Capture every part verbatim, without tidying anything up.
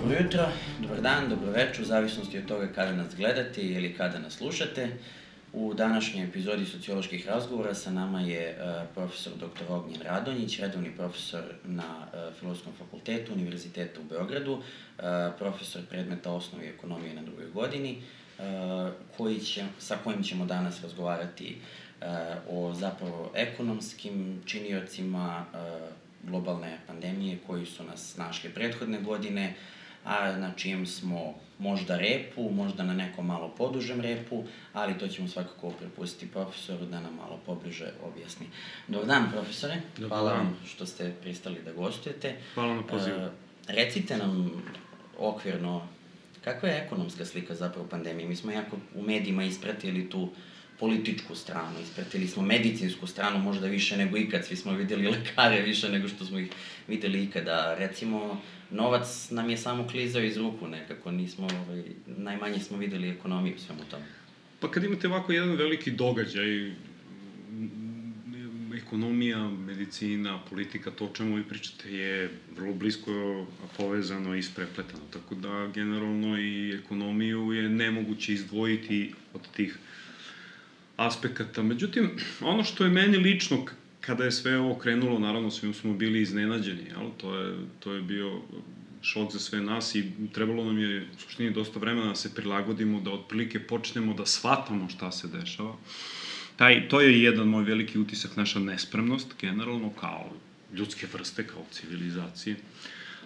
Dobro jutro, dobar dan, dobro večer, u zavisnosti od toga kada nas gledate ili kada nas slušate. U današnjoj epizodi socioloških razgovora sa nama je uh, profesor doktor Ognjen Radonjić, redovni profesor na uh, Filozofskom fakultetu Univerziteta u Beogradu, uh, profesor predmeta osnovi ekonomije na drugoj godini, uh, koji će, sa kojim ćemo danas razgovarati uh, o zapravo ekonomskim činiocima uh, globalne pandemije koji su nas našli prethodne godine, a na čijem smo možda repu, možda na nekom malo podužem repu, ali to ćemo svakako prepustiti profesoru da nam malo pobliže objasni. Dobar dan, profesore. Dobar Hvala dan. vam što ste pristali da gostujete. Hvala na pozivu. E, recite nam okvirno, kakva je ekonomska slika zapravo pandemije? Mi smo jako u medijima ispratili tu političku stranu, ispratili smo medicinsku stranu možda više nego ikad, svi smo videli lekare više nego što smo ih videli ikada. Recimo, novac nam je samo klizao iz ruku nekako, nismo, ovaj, najmanje smo videli ekonomiju u svemu tome. Pa kad imate ovako jedan veliki događaj, ekonomija, medicina, politika, to o čemu vi pričate je vrlo blisko povezano i isprepletano, tako da generalno i ekonomiju je nemoguće izdvojiti od tih aspekata. Međutim, ono što je meni lično, kada je sve ovo krenulo, naravno svi smo bili iznenađeni, jel? To je, to je bio šok za sve nas i trebalo nam je u suštini dosta vremena da se prilagodimo, da otprilike počnemo da shvatamo šta se dešava. Taj, to je jedan moj veliki utisak, naša nespremnost, generalno, kao ljudske vrste, kao civilizacije.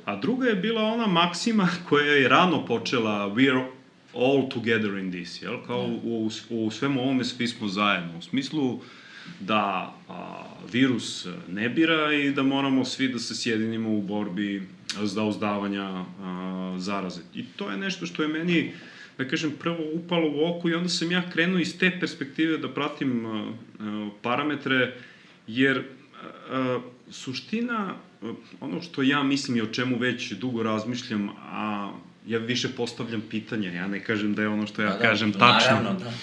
A druga je bila ona maksima koja je rano počela, we are all together in this, jel? Kao u, u, u svemu ovome svi smo zajedno, u smislu da a, virus ne bira i da moramo svi da se sjedinimo u borbi za uzdavanja a, zaraze. I to je nešto što je meni, da kažem, prvo upalo u oko i onda sam ja krenuo iz te perspektive da pratim a, a, parametre, jer a, suština, a, ono što ja mislim i o čemu već dugo razmišljam, a ja više postavljam pitanja, ja ne kažem da je ono što ja da, kažem da, tačno. Naravno, da.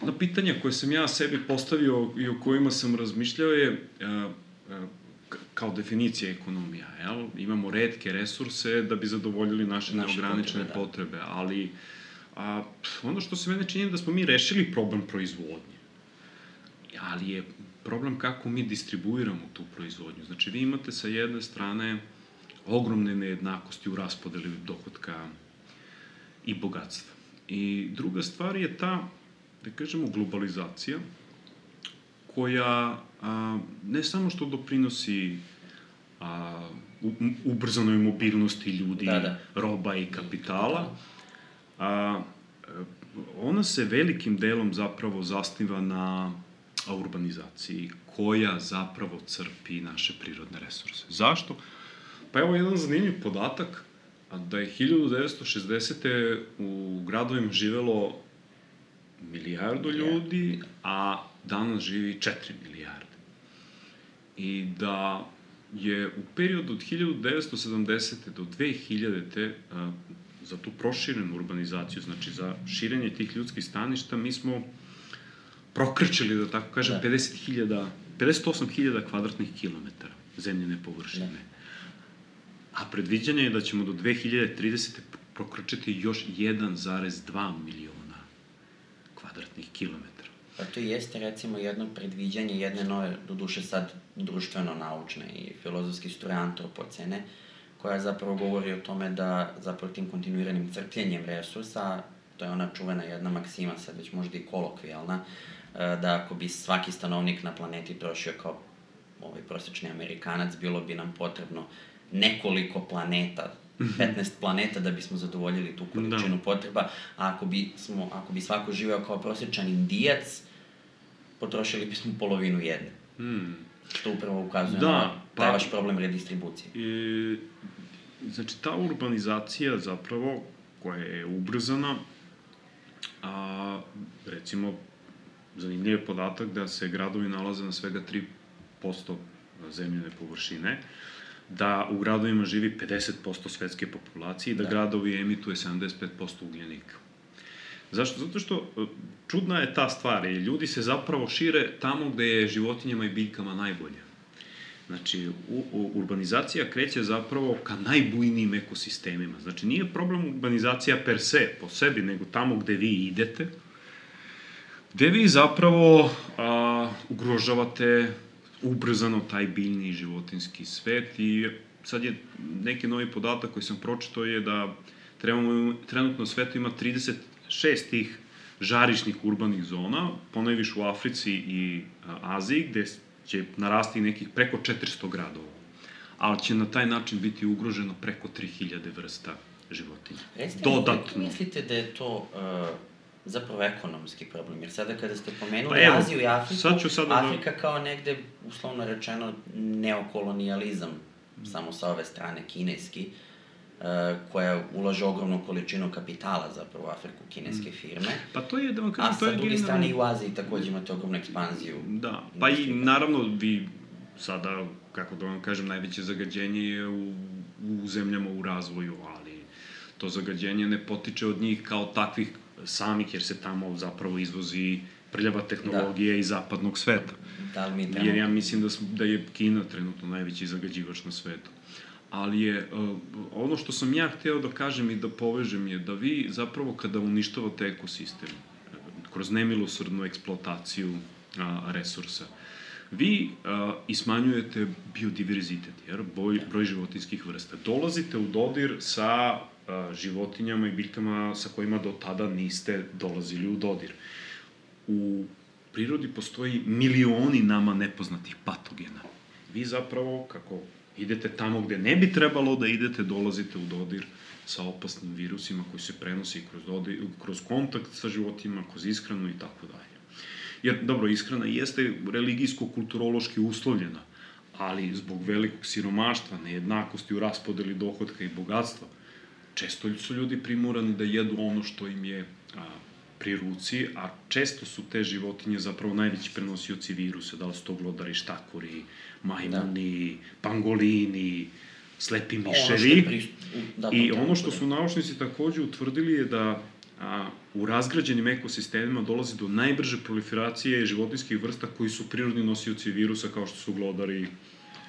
Na pitanja koje sam ja sebi postavio i o kojima sam razmišljao je a, a, kao definicija ekonomija. Jel? Imamo retke resurse da bi zadovoljili naše, naše neograničene potrebe, potrebe, ali a, ono što se mene čini da smo mi rešili problem proizvodnje. Ali je problem kako mi distribuiramo tu proizvodnju. Znači, vi imate sa jedne strane ogromne nejednakosti u raspodeli dohotka i bogatstva. I druga stvar je ta, da kažemo, globalizacija, koja a, ne samo što doprinosi a, u, ubrzanoj mobilnosti ljudi, da, da. roba i kapitala, a, ona se velikim delom zapravo zasniva na urbanizaciji, koja zapravo crpi naše prirodne resurse. Zašto? Pa evo jedan zanimljiv podatak, da je hiljadu devetsto šezdesete u gradovima živelo milijardu ljudi, a danas živi četiri milijarde. I da je u periodu od hiljadu devetsto sedamdesete do dve hiljadite za tu proširenu urbanizaciju, znači za širenje tih ljudskih staništa, mi smo prokrčili, da tako kažem, pedeset osam hiljada kvadratnih kilometara zemljene površine. Da. A predviđanje je da ćemo do dve hiljade tridesete prokročiti još jedan zarez dva miliona kvadratnih kilometara. Pa to jeste, recimo, jedno predviđanje jedne nove, doduše sad društveno-naučne i filozofski struje antropocene, koja zapravo govori o tome da zapravo tim kontinuiranim crpljenjem resursa, to je ona čuvena jedna maksima, sad već možda i kolokvijalna, da ako bi svaki stanovnik na planeti trošio kao ovaj prosječni Amerikanac, bilo bi nam potrebno nekoliko planeta, petnaest planeta da bismo zadovoljili tu količinu da. potreba, a ako bi, smo, ako bi svako živeo kao prosječan Indijac, potrošili bismo polovinu jedne. Hmm. Što upravo ukazuje da, na taj pa, vaš problem redistribucije. I, znači, ta urbanizacija zapravo, koja je ubrzana, a, recimo, zanimljiv je podatak da se gradovi nalaze na svega tri posto zemljene površine, da u gradovima živi pedeset posto svetske populacije i da, da. gradovi emituje sedamdeset pet posto ugljenika. Zašto? Zato što čudna je ta stvar i ljudi se zapravo šire tamo gde je životinjama i biljkama najbolje. Znači, u, u, urbanizacija kreće zapravo ka najbujnijim ekosistemima. Znači, nije problem urbanizacija per se, po sebi, nego tamo gde vi idete, gde vi zapravo a, ugrožavate ubrzano taj biljni i životinski svet. I sad je neki novi podatak koji sam pročitao je da trebamo, trenutno u svetu ima trideset šest tih žarišnih urbanih zona, ponajviše u Africi i a, Aziji, gde će narasti nekih preko četiristo gradova, ali će na taj način biti ugroženo preko tri hiljade vrsta životinja. Recite, dodatno. Mislite da je to uh, zapravo ekonomski problem? Jer sada kada ste pomenuli pa evo, Aziju i Afriku, Afrika da... kao negde, uslovno rečeno, neokolonijalizam, mm. samo sa ove strane, kineski, uh, koja ulaže ogromnu količinu kapitala zapravo u Afriku, kineske mm. firme. Pa to je, da vam kažem, a to je... A sa druge generalno... strane i u Aziji takođe imate ogromnu ekspanziju. Da, pa i naravno vi sada, kako da vam kažem, najveće zagađenje je u, u zemljama u razvoju, ali to zagađenje ne potiče od njih kao takvih samih, jer se tamo zapravo izvozi prljava tehnologija da. Iz zapadnog sveta. Da li mi trebamo... Jer ja mislim da, da je Kina trenutno najveći zagađivač na svetu. Ali je, uh, ono što sam ja hteo da kažem i da povežem je da vi zapravo kada uništavate ekosistem, kroz nemilosrdnu eksploataciju uh, resursa, vi uh, ismanjujete biodiverzitet, jer broj, broj životinskih vrsta. Dolazite u dodir sa uh, životinjama i biljkama sa kojima do tada niste dolazili u dodir. U prirodi postoji milioni nama nepoznatih patogena. Vi zapravo, kako idete tamo gde ne bi trebalo da idete, dolazite u dodir sa opasnim virusima koji se prenosi kroz, dodir, kroz kontakt sa životinjama, kroz ishranu i tako dalje. Jer, dobro, ishrana jeste religijsko-kulturološki uslovljena, ali zbog velikog siromaštva, nejednakosti u raspodeli dohotka i bogatstva, često su ljudi primorani da jedu ono što im je a, pri ruci, a često su te životinje zapravo najveći prenosioci virusa, da li su to glodari, štakori, majmuni, da. Pangolini, slepi miševi. Pri... Da, I ono što su naučnici takođe utvrdili je da a, u razgrađenim ekosistemima dolazi do najbrže proliferacije životinjskih vrsta koji su prirodni nosioci virusa, kao što su glodari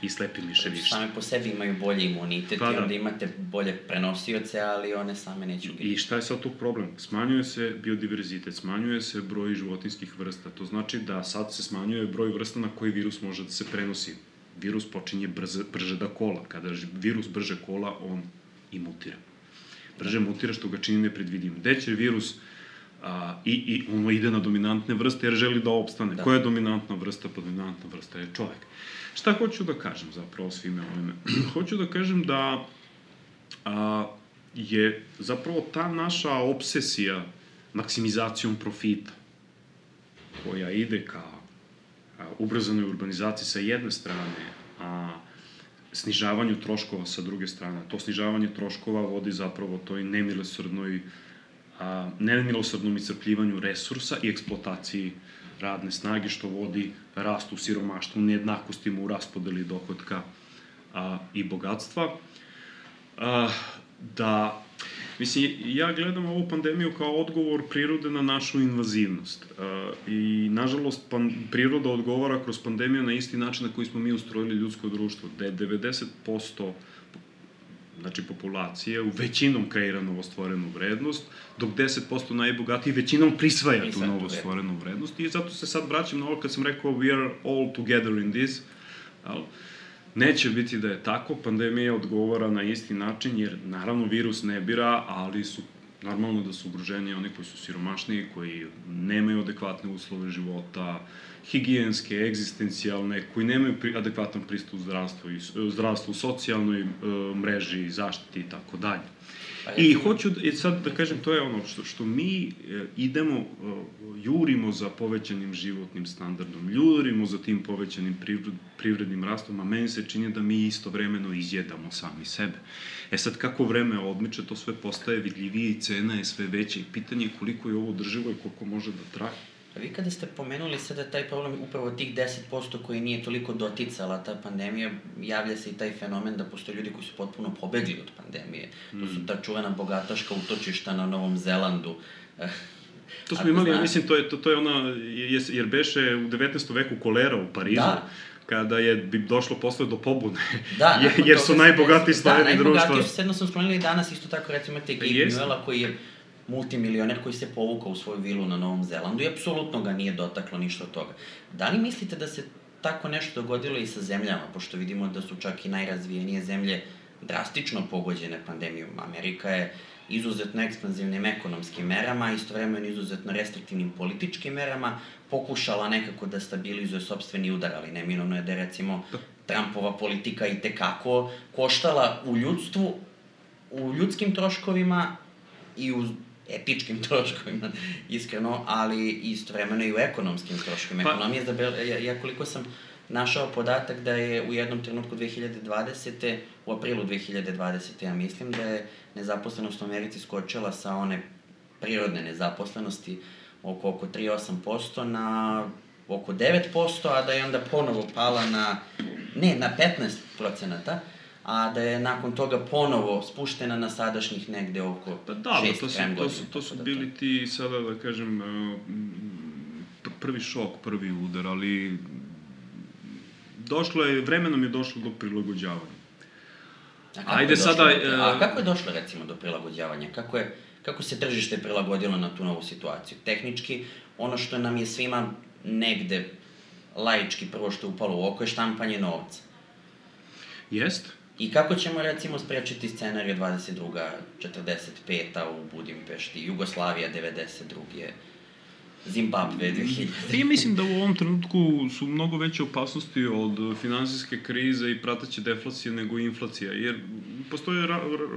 i slepi miševi. Same po sebi imaju bolji imunitet pa, i onda imate bolje prenosioce, ali one same neće ugrižiti. I šta je sad tu problem? Smanjuje se biodiverzitet, smanjuje se broj životinjskih vrsta. To znači da sad se smanjuje broj vrsta na koji virus može da se prenosi. Virus počinje brze, brže da kola. Kada virus brže kola, on i mutira. Brže mutira što ga čini nepredvidivim. Gde će virus a, i, i ono ide na dominantne vrste jer želi da opstane. Da. Koja je dominantna vrsta? Pa dominantna vrsta je čovek. Šta hoću da kažem zapravo svime ovime? Hoću da kažem da a, je zapravo ta naša obsesija maksimizacijom profita, koja ide ka a, ubrzanoj urbanizaciji sa jedne strane, a snižavanju troškova sa druge strane. To snižavanje troškova vodi zapravo toj nemilosrdnoj, a, nemilosrdnom iscrpljivanju resursa i eksploataciji radne snage, što vodi rastu siromaštvu, nejednakostima u raspodeli dohotka a, i bogatstva. A, da, mislim, ja gledam ovu pandemiju kao odgovor prirode na našu invazivnost. A, I, nažalost, pan, priroda odgovara kroz pandemiju na isti način na koji smo mi ustrojili ljudsko društvo, gde je devedeset posto znači populacije u većinom kreira novostvorenu vrednost, dok deset posto najbogatiji većinom prisvaja tu novostvorenu vrednost. I zato se sad vraćam na ovo kad sam rekao we are all together in this. Neće biti da je tako, pandemija odgovara na isti način, jer naravno virus ne bira, ali su normalno da su ugroženi oni koji su siromašniji, koji nemaju adekvatne uslove života, higijenske, egzistencijalne, koji nemaju pri, adekvatan pristup zdravstvu, zdravstvu, socijalnoj e, mreži, zaštiti i tako dalje. I hoću, da, sad da kažem, to je ono što, što mi e, idemo, e, jurimo za povećanim životnim standardom, jurimo za tim povećanim privred, privrednim rastom, a meni se čini da mi istovremeno izjedamo sami sebe. E sad, kako vreme odmiče, to sve postaje vidljivije i cena je sve veća i pitanje je koliko je ovo održivo i koliko može da traje. A vi kada ste pomenuli sada taj problem upravo tih deset posto koji nije toliko doticala ta pandemija, javlja se i taj fenomen da postoje ljudi koji su potpuno pobegli od pandemije. Mm. To su ta čuvena bogataška utočišta na Novom Zelandu. To smo imali, ja mislim, to je, to, to je ona, jer beše u devetnaestom veku kolera u Parizu, da. kada je bi došlo posle do pobune, da, jer, jer su najbogatiji slojevi društva. Da, najbogatiji su, jedno sam spomenuli danas, isto tako recimo imate Gabe Newella koji je multimilioner koji se povukao u svoju vilu na Novom Zelandu i apsolutno ga nije dotaklo ništa od toga. Da li mislite da se tako nešto dogodilo i sa zemljama, pošto vidimo da su čak i najrazvijenije zemlje drastično pogođene pandemijom? Amerika je izuzetno ekspanzivnim ekonomskim merama, istovremeno izuzetno restriktivnim političkim merama, pokušala nekako da stabilizuje sopstveni udar, ali neminovno je da je, recimo, Trumpova politika i tekako koštala u ljudstvu, u ljudskim troškovima i u etičkim troškovima, iskreno, ali istovremeno i u ekonomskim troškovima. Ekonomija, ja koliko sam našao podatak da je u jednom trenutku dve hiljade dvadesete. u aprilu dve hiljade dvadesete. ja mislim da je nezaposlenost u Americi skočila sa one prirodne nezaposlenosti oko, oko tri zarez osam posto na oko devet posto, a da je onda ponovo pala na, ne, na petnaest procenata, a da je nakon toga ponovo spuštena na sadašnjih negde oko pa da, šest to su, to su, to su bili ti, sada da kažem, prvi šok, prvi udar, ali došlo je, vremenom je došlo do prilagođavanja. A kako, Ajde sada, do, a kako je došlo, recimo, do prilagođavanja? Kako, je, kako se tržište prilagodilo na tu novu situaciju? Tehnički, ono što nam je svima negde laički prvo što je upalo u oko je štampanje novca. Jest. I kako ćemo, recimo, sprečiti scenariju dvadeset druga četrdeset peta u Budimpešti, Jugoslavija devedeset druge Zimbabwe dve hiljade. Ja mislim da u ovom trenutku su mnogo veće opasnosti od finansijske krize i prateće deflacije nego inflacija, jer postoje ra, ra,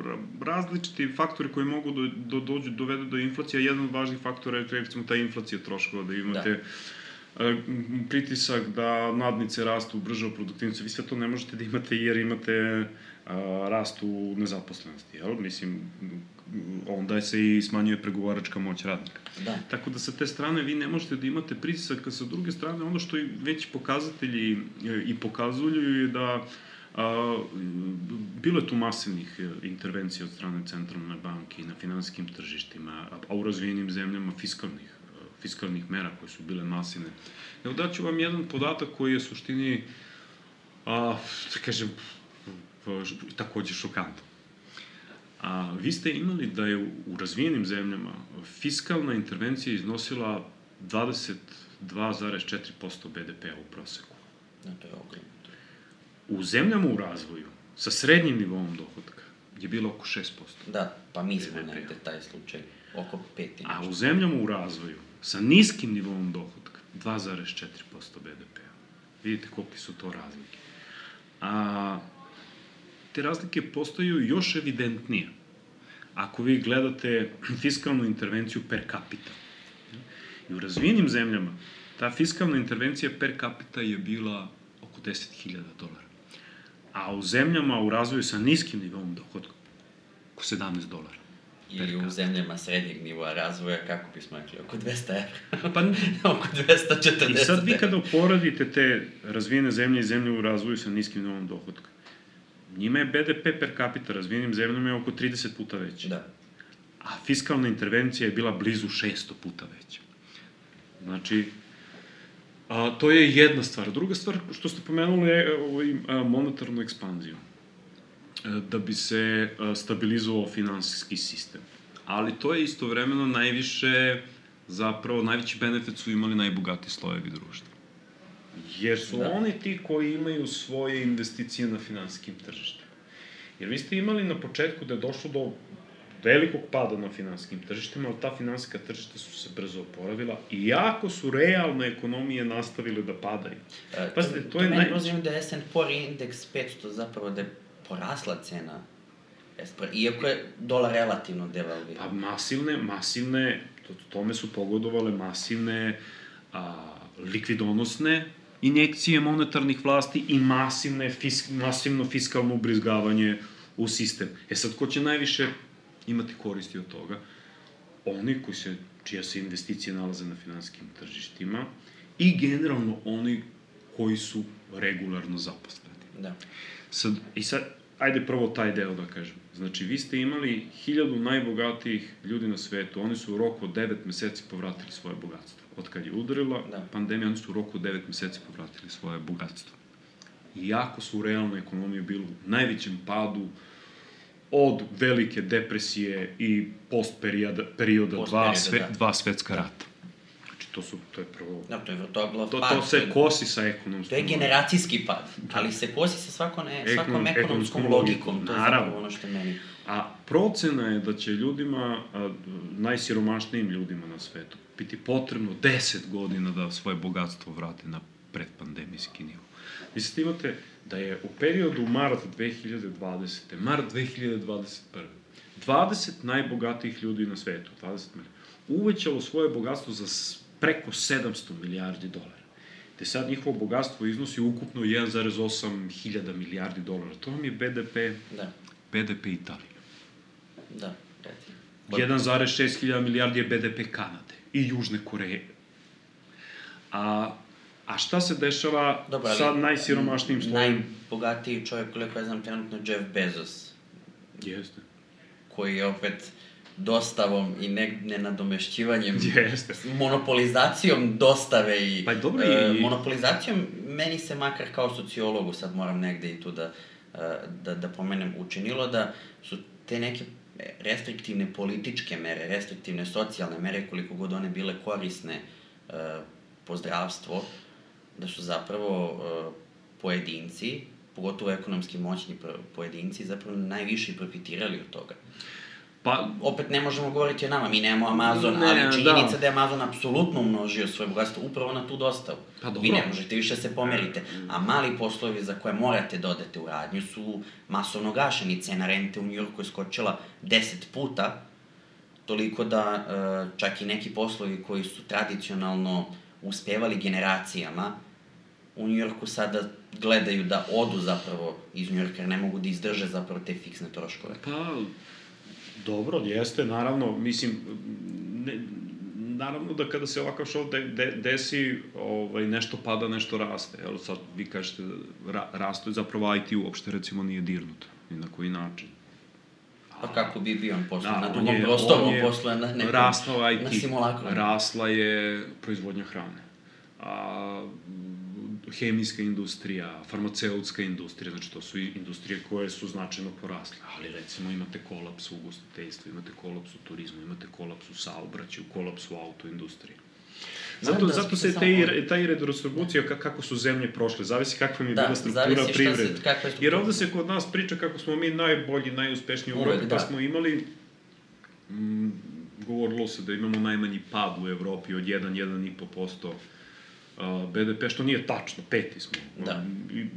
ra, različiti faktori koji mogu do, do, dođu, dovedu do inflacije. Jedan od važnih faktora je, recimo, ta inflacija troškova, da imate da. pritisak da nadnice rastu brže od produktivnosti. Vi sve to ne možete da imate jer imate a, rast u nezaposlenosti, jel? Mislim, onda se i smanjuje pregovaračka moć radnika. Da. Tako da sa te strane vi ne možete da imate pritisak, a sa druge strane ono što i već pokazatelji i pokazuju je da a, bilo je tu masivnih intervencija od strane centralne banke i na finansijskim tržištima, a u razvijenim zemljama fiskalnih, fiskalnih mera koje su bile masivne. Evo daću vam jedan podatak koji je u suštini, a, da kažem, takođe šokantan. A vi ste imali da je u razvijenim zemljama fiskalna intervencija iznosila dvadeset dva zarez četiri posto be de pea u proseku. Da, to je ogromno. U zemljama u razvoju, sa srednjim nivom dohodka, je bilo oko šest posto. Da, pa mi smo negde taj slučaj, oko pet i nešto. A u zemljama u razvoju, sa niskim nivom dohodka, dva zarez četiri posto be de pea. Vidite kolike su to razlike. A te razlike postaju još evidentnije ako vi gledate fiskalnu intervenciju per capita. I u razvijenim zemljama ta fiskalna intervencija per capita je bila oko deset hiljada dolara. A u zemljama u razvoju sa niskim nivom dohodka oko sedamnaest dolara. Ili u zemljama srednjeg nivoa razvoja, kako bismo rekli, oko dvesta evra. Pa, oko dvesta četrdeset. I sad vi kada uporadite te razvijene zemlje i zemlje u razvoju sa niskim nivom dohodka, njima je be de pe per capita razvijenim zemljama je oko trideset puta veća. Da. A fiskalna intervencija je bila blizu šesto puta veća. Znači, a, to je jedna stvar. Druga stvar, što ste pomenuli, je ovaj, a, monetarnu ekspanziju. A, da bi se a, stabilizovao finansijski sistem. Ali to je istovremeno najviše, zapravo, najveći benefit su imali najbogatiji slojevi društva. Jer su da. oni ti koji imaju svoje investicije na finansijskim tržištima. Jer vi ste imali na početku da je došlo do velikog pada na finansijskim tržištima, ali ta finansijska tržišta su se brzo oporavila, iako su realne ekonomije nastavile da padaju. E, Pazite, to, to, to je meni naj... da je es and pe indeks petsto zapravo da je porasla cena, iako je dolar relativno devalviran. Pa masivne, masivne, to, tome su pogodovale masivne a, likvidonosne injekcije monetarnih vlasti i masivne, fisk, masivno fiskalno ubrizgavanje u sistem. E sad, ko će najviše imati koristi od toga? Oni koji se, čija se investicije nalaze na finansijskim tržištima i generalno oni koji su regularno zaposleni. Da. Sad, i sad, ajde prvo taj deo da kažem. Znači, vi ste imali hiljadu najbogatijih ljudi na svetu, oni su u roku od devet meseci povratili svoje bogatstvo. Od kad je udarila da. pandemija, oni su u roku od devet meseci povratili svoje bogatstvo. Iako su u realnoj ekonomiji bili u najvećem padu od velike depresije i post-perioda perioda post dva, sve, da. dva svetska rata. Znači, to su, to je prvo... Da, to je vrtoglov to, pad. To se kosi sa ekonomskom... To je generacijski pad, ali se kosi sa svakom, ne, svakom Ekonom, ekonomskom, ekonomskom logikom. logikom. To je zapravo ono što meni... A procena je da će ljudima, a, najsiromašnijim ljudima na svetu, biti potrebno deset godina da svoje bogatstvo vrate na predpandemijski nivo. Mislite, imate da je u periodu mart dve hiljade dvadesete. mart dve hiljade dvadeset prve. dvadeset najbogatijih ljudi na svetu, dvadeset milijardi, uvećalo svoje bogatstvo za preko sedamsto milijardi dolara. Te sad njihovo bogatstvo iznosi ukupno jedan zarez osam hiljada milijardi dolara. To vam je B D P, da. B D P Italije. Da, recimo. jedan zarez šest hiljada milijardi je B D P Kanade i Južne Koreje. A, a šta se dešava Dobar, sa najsiromašnijim slojem? Najbogatiji čovjek, koliko ja znam, trenutno Jeff Bezos. Jeste. Koji je opet dostavom i ne, nenadomešćivanjem, Jeste. monopolizacijom dostave i, pa dobro, e, i... monopolizacijom, meni se makar kao sociologu, sad moram negde i tu da, da, da pomenem, učinilo da su te neke restriktivne političke mere, restriktivne socijalne mere, koliko god one bile korisne uh, po zdravstvo, da su zapravo uh, pojedinci, pogotovo ekonomski moćni pojedinci, zapravo najviše profitirali od toga. Pa, opet ne možemo govoriti o nama, mi nemamo Amazon, ne, ali činjenica da. da je Amazon apsolutno umnožio svoje bogatstvo upravo na tu dostavu. Pa dobro. Vi ne možete više se pomerite, a mali poslovi za koje morate da odete u radnju su masovno gašeni. Cena rente u Njujorku je skočila deset puta, toliko da čak i neki poslovi koji su tradicionalno uspevali generacijama, u Njujorku sada gledaju da odu zapravo iz Njujorka, jer ne mogu da izdrže zapravo te fiksne troškove. Pa... Dobro, jeste, naravno, mislim, ne, naravno da kada se ovakav šov de, de, desi, ovaj, nešto pada, nešto raste. Evo sad vi kažete, ra, rasto je zapravo I T uopšte, recimo, nije dirnut, ni na koji način. A, pa kako bi bio on posle, da, na drugom prostoru, on posle na nekom, rastao I T, na simulakru. Rasla je proizvodnja hrane. A, hemijska industrija, farmaceutska industrija, znači to su industrije koje su značajno porasle, ali recimo imate kolaps u ugostiteljstvu, imate kolaps u turizmu, imate kolaps u saobraćaju, kolaps u autoindustriji. Zato, da, zato se te, ta redistribucija, kako su zemlje prošle, zavisi kakva mi je da, bila struktura privrede. Jer ovde se kod nas priča kako smo mi najbolji, najuspešniji u Evropi, pa smo imali, mm, govorilo se da imamo najmanji pad u Evropi od jedan do jedan i po posto B D P, što nije tačno, peti smo. Da.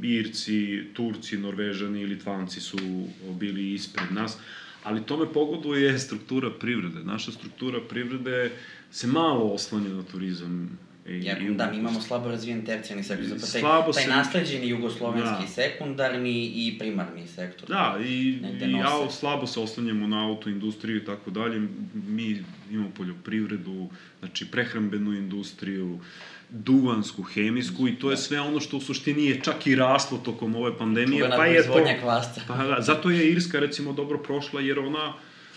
Irci, Turci, Norvežani i Litvanci su bili ispred nas, ali tome pogoduje struktura privrede. Naša struktura privrede se malo oslanja na turizam. I, ja, i, da, mi imamo slabo razvijen tercijarni sektor, zapravo taj, taj nasleđeni jugoslovenski da. sekundarni i primarni sektor. Da, i, i ja, slabo se oslanjamo na autoindustriju i tako dalje. Mi imamo poljoprivredu, znači prehrambenu industriju, duvansku, hemijsku i to je sve ono što u suštini je čak i raslo tokom ove pandemije. Čuvena pa je proizvodnja kvasca. Pa da, zato je Irska recimo dobro prošla jer ona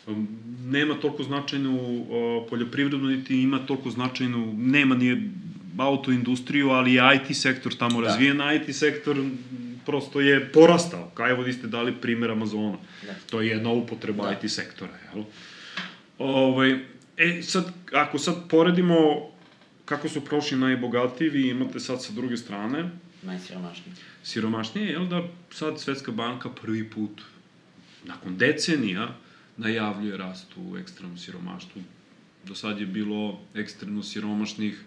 um, nema toliko značajnu uh, poljoprivrednu, niti ima toliko značajnu, nema nije autoindustriju, ali je I T sektor tamo da. razvijen, I T sektor prosto je porastao. Kao evo vi ste dali primjer Amazona. Da. To je jedna upotreba da. I T sektora. Jel? Ovaj, e, sad, ako sad poredimo kako su prošli najbogatiji, vi imate sad sa druge strane... Najsiromašniji. Siromašnije, jel da sad Svetska banka prvi put, nakon decenija, najavljuje rast u ekstremnom siromaštvu. Do sad je bilo ekstremno siromašnih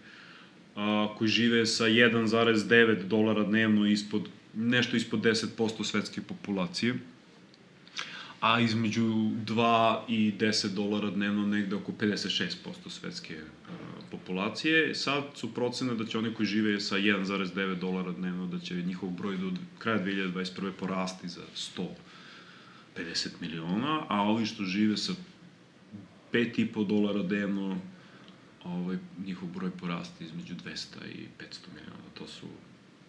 a, koji žive sa jedan zarez devet dolara dnevno ispod, nešto ispod deset posto svetske populacije, a između dva i deset dolara dnevno negde oko pedeset šest posto svetske uh, populacije. Sad su procene da će oni koji žive sa jedan zarez devet dolara dnevno, da će njihov broj do kraja dve hiljade dvadeset prve porasti za sto pedeset miliona, a ovi što žive sa pet i po dolara dnevno, ovaj, njihov broj porasti između dvesta i petsto miliona. To su,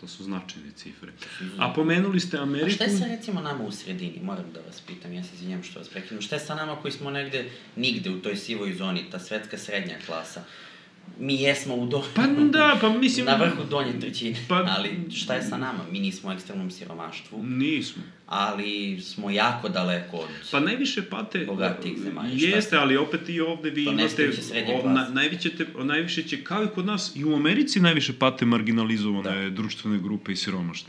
To su značajne cifre. A pomenuli ste Ameriku... A šta je sa recimo nama u sredini? Moram da vas pitam, ja se izvinjam što vas prekinem. Šta je sa nama koji smo negde, nigde u toj sivoj zoni, ta svetska srednja klasa? Mi jesmo u donju, pa da, pa mislim... na vrhu donje trećine, pa, ali šta je sa nama? Mi nismo u ekstremnom siromaštvu. Nismo. Ali smo jako daleko od pa najviše pate, bogatih zemalja. Jeste, ali opet i ovde vi imate... O, na, najviše, te, najviše će, kao i kod nas, i u Americi najviše pate marginalizovane da. društvene grupe i siromašne.